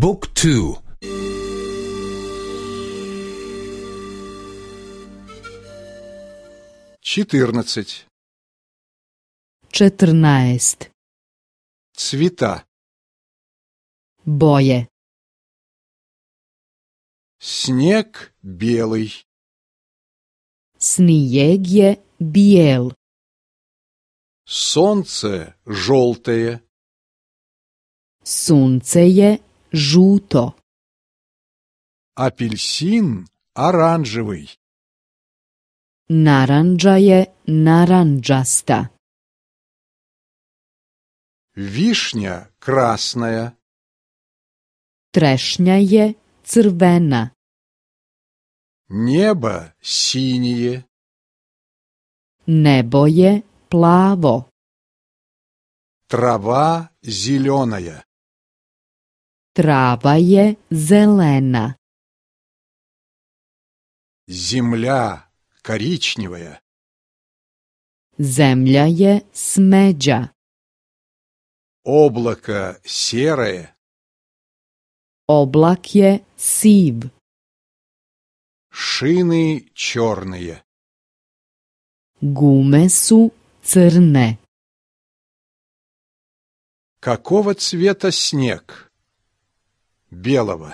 บุ๊กทูчетырнадцать. 14. Цвета. Boje. Снег белый. Snijeg je bijel. Солнце желтое. Sunce je žuto. Апельсин оранжевый. Narandža je narandžasta. Вишня красная. Trešnja je crvena. Небо синее. Nebo je plavo. Трава зеленая. Trava je zelena. Земля коричневая. Zemlja je smeđa. Облако серое. Oblak je siv. Шины черные. Gume su crne. Какого цвета снег? Белого.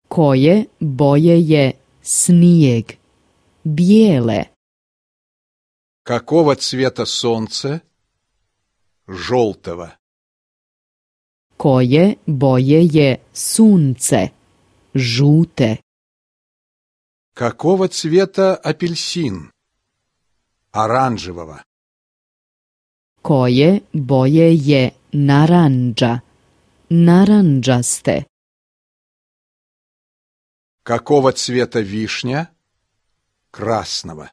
Koje boje je snijeg? Bijele. Какого цвета солнце? Желтого. Koje boje je sunce? Žute. Какого цвета апельсин? Оранжевого. Koje boje je narandža? Narandžaste. Какого цвета вишня? Красного.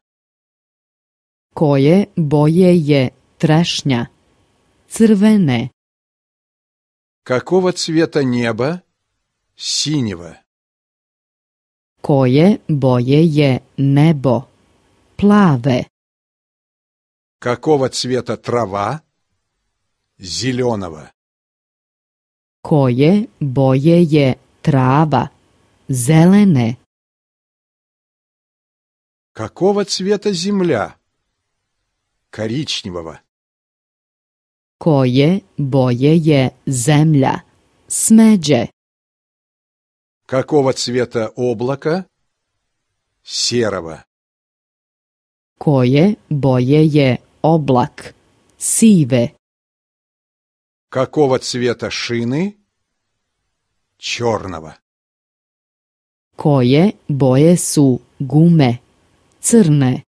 Koje boje je trešnja? Crvene. Какого цвета небо? Синего. Koje boje je nebo? Plave. Какого цвета трава? Зеленого. Koje boje je trava? Zelene. Какого цвета земля? Коричневого. Koje boje je zemlja? Smeđe. Какого цвета облако? Серого. Koje boje je oblak? Sive. Какого цвета шины? Черного. Koje boje su gume? Crne.